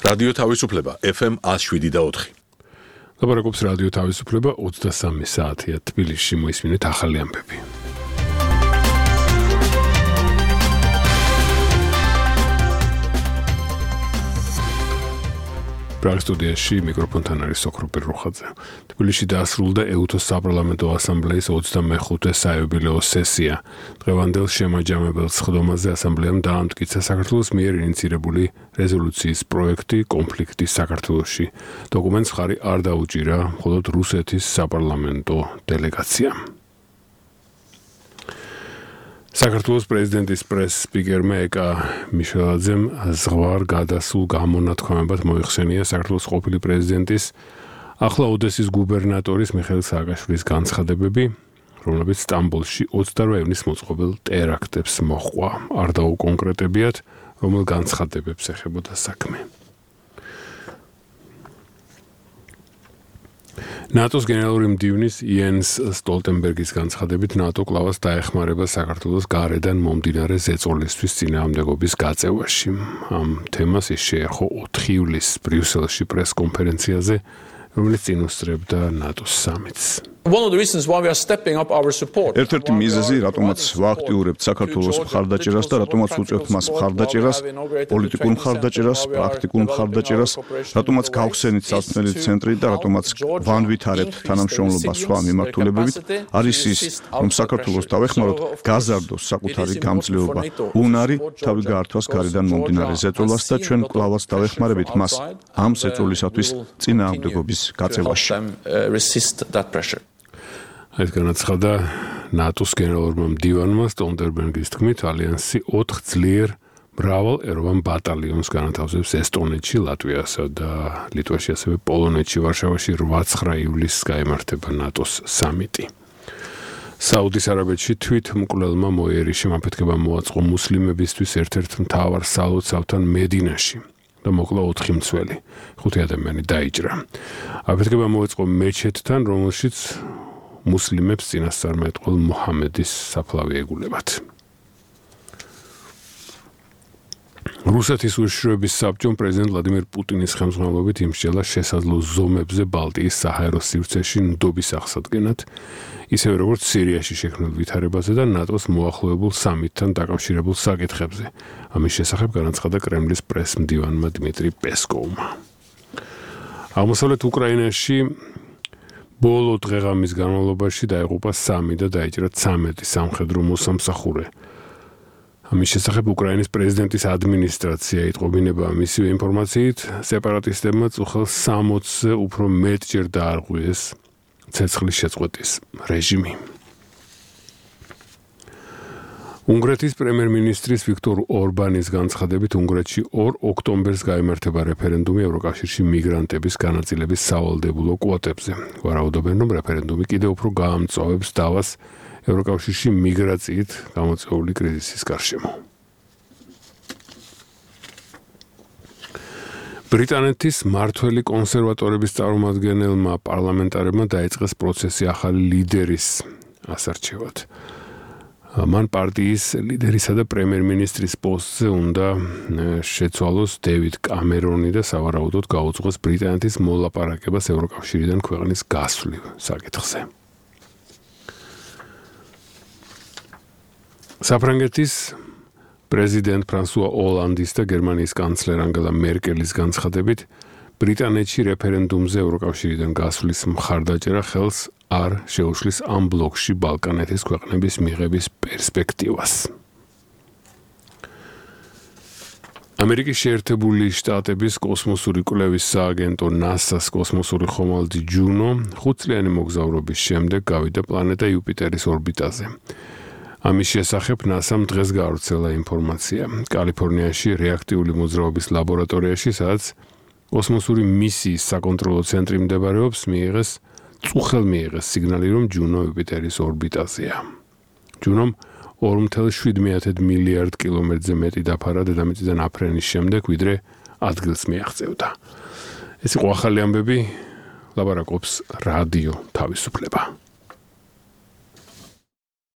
რადიო თავისუფლება FM 107.4. ლაპარაკობს რადიო თავისუფლება 23 საათია თბილისში მოისმინეთ ახალი ამბები. პრაღის სტუდიაში მიკროფონთან არის სოქროპერ რუხაძე. თბილისში დაასრულდა ეუთოს საპარლამენტო ასამბლეის 25-ე საიუბილეო სესია. დღევანდელ შემაჯამებელ სხდომაზე ასამბლეამ დაამტკიცა საქართველოს მიერ ინიცირებული რეზოლუციის პროექტი კონფლიქტის საქართველოში. დოკუმენტს ხარი არ დაუჭირა მხოლოდ რუსეთის საპარლამენტო დელეგაციამ. საქართველოს პრეზიდენტის პრეს-სპიკერმა ეკა მიშელაძემ ზღვარ გადასულ გამონათქვამებად მოიხსენია საქართველოს ყოფილი პრეზიდენტის ახლა ოდესის გუბერნატორის მიხეილ სააკაშვილის განცხადებები, რომლებიც სტამბოლში 28 ივნის მოწყობილ ტერაქტებს მოჰყვა. არ დაუკონკრეტებიათ, რომელ განცხადებებს ეხებოდა საქმე. ნატოს გენერალური მდივნის იენს სტოლტენბერგის განცხადებით ნატო კლავას დაეხმარება საქართველოს გარედან მომდინარე ზეწოლისთვის წინააღმდეგობის გაწევაში. ამ თემას ის შეეხო 4 ივლისს ბრიუსელში პრეს-კონფერენციაზე, რომელიც წინ უსწრებდა ნატოს სამიტს. ერთ-ერთი მიზეზი, რატომაც ვააქტიურებთ საქართველოს მხარდაჭერას და რატომაც უწევთ მას მხარდაჭერას, პოლიტიკურ მხარდაჭერას, პრაქტიკულ მხარდაჭერას, რატომაც გავხსენით საცნელი ცენტრი და რატომაც ვანვითარებთ თანამშრომლობას სხვა მიმართულებებით, არის ის, რომ საქართველოს დავეხმაროთ გაზარდოს საკუთარი გამძლეობა, უნარი თავი გაართვას გარედან მომდინარე ზეწოლას და ჩვენ კლავაც დავეხმარებით მას ამ ზეწოლისათვის წინააღმდეგობის გაწევაში. ეს განაცხადა ნატოს გენერალურმა მდივანმა სტოლტენბერგის თქმით, ალიანსი 4 ძლიერ მრავალეროვან ბატალიონს განათავსებს ესტონეთში, ლატვიასა და ლიტვაში, ასევე პოლონეთში, ვარშავაში 8-9 ივლისს გაიმართება ნატოს სამიტი. საუდის არაბეთში თვითმკვლელმა მოიერიშემ აფეთქება მოაწყო მუსლიმებისთვის ერთ-ერთ მთავარ სალოცავთან მედინაში და მოკლა 4 მცველი. 5 ადამიანი დაიჭრა. აფეთქება მოაწყო მეჩეთთან, რომელშიც მუსლიმებს წინასწარმეტყველ მუჰამედის საფლავი ეგულებათ. რუსეთის უშიშროების საბჭომ პრეზიდენტ ვლადიმერ პუტინის ხელმძღვანელობით იმსჯელა შესაძლო ზომებზე ბალტიის საჰაერო სივრცეში ნდობის აღსადგენად, ისევე როგორც სირიაში შექმნილ ვითარებაზე და ნატოს მოახლოებულ სამიტთან დაკავშირებულ საკითხებზე. ამის შესახებ განაცხადა კრემლის პრეს-მდივანმა დიმიტრი პესკოვმა. აღმოსავლეთ უკრაინაში ბოლო დღეღამის განმავლობაში დაიღუპა 3 და დაიჭრა 13 სამხედრო მოსამსახურე. ამის შესახებ უკრაინის პრეზიდენტის ადმინისტრაცია იტყობინება მისივე ინფორმაციით, სეპარატისტებმა წუხელს 60-ზე უფრო მეტჯერ დაარღვიეს ცეცხლის შეწყვეტის რეჟიმი. უნგრეთის პრემიერ-მინისტრის ვიქტორ ორბანის განცხადებით, უნგრეთში 2 ოქტომბერს გაიმართება რეფერენდუმი ევროკავშირში მიგრანტების განაწილების სავალდებულო კვოტებზე. ვარაუდობენ, რომ რეფერენდუმი კიდევ უფრო გაამწვავებს დავას ევროკავშირში მიგრაციით გამოწვეული კრიზისის გარშემო. ბრიტანეთის მმართველი კონსერვატორების წარმომადგენელმა პარლამენტარებმა დაიწყეს პროცესი ახალი ლიდერის ასარჩევად. მან პარტიის ლიდერისა და პრემიერ-მინისტრის პოსტზე უნდა შეცვალოს დევიდ კამერონი და სავარაუდოდ გაუძღვეს ბრიტანეთის მოლაპარაკებას ევროკავშირიდან ქვეყნის გასვლილ საკითხზე. საფრანგეთის პრეზიდენტ ფრანსუა ოლანდის და გერმანიის კანცლერ ანგელა მერკელის განცხადებით, ბრიტანეთში რეფერენდუმზე ევროკავშირიდან გასვლის მხარდაჭერა ხელს არ შეუშლის ამ ბლოკში ბალკანეთის ქვეყნების მიღების პერსპექტივას. ამერიკის შეერთებული შტატების კოსმოსური კვლევის სააგენტო NASA-ს კოსმოსური ხომალდი ჯუნო 5 წლიანი მოგზაურობის შემდეგ გავიდა პლანეტა იუპიტერის ორბიტაზე. ამის შესახებ NASA-მ დღეს გაავრცელა ინფორმაცია. კალიფორნიაში რეაქტიული მოძრაობის ლაბორატორიაში, სადაც კოსმოსური მისიის საკონტროლო ცენტრი მდებარეობს, მიიღეს სიგნალი, რომ ჯუნო იუპიტერის ორბიტაზეა. ჯუნომ 2.7 მილიარდ კილომეტრზე მეტი დაფარა დედამიწიდან აფრენის შემდეგ, ვიდრე ადგილს მიაღწევდა. ეს იყო ახალი ამბები, ლაპარაკობს რადიო თავისუფლება.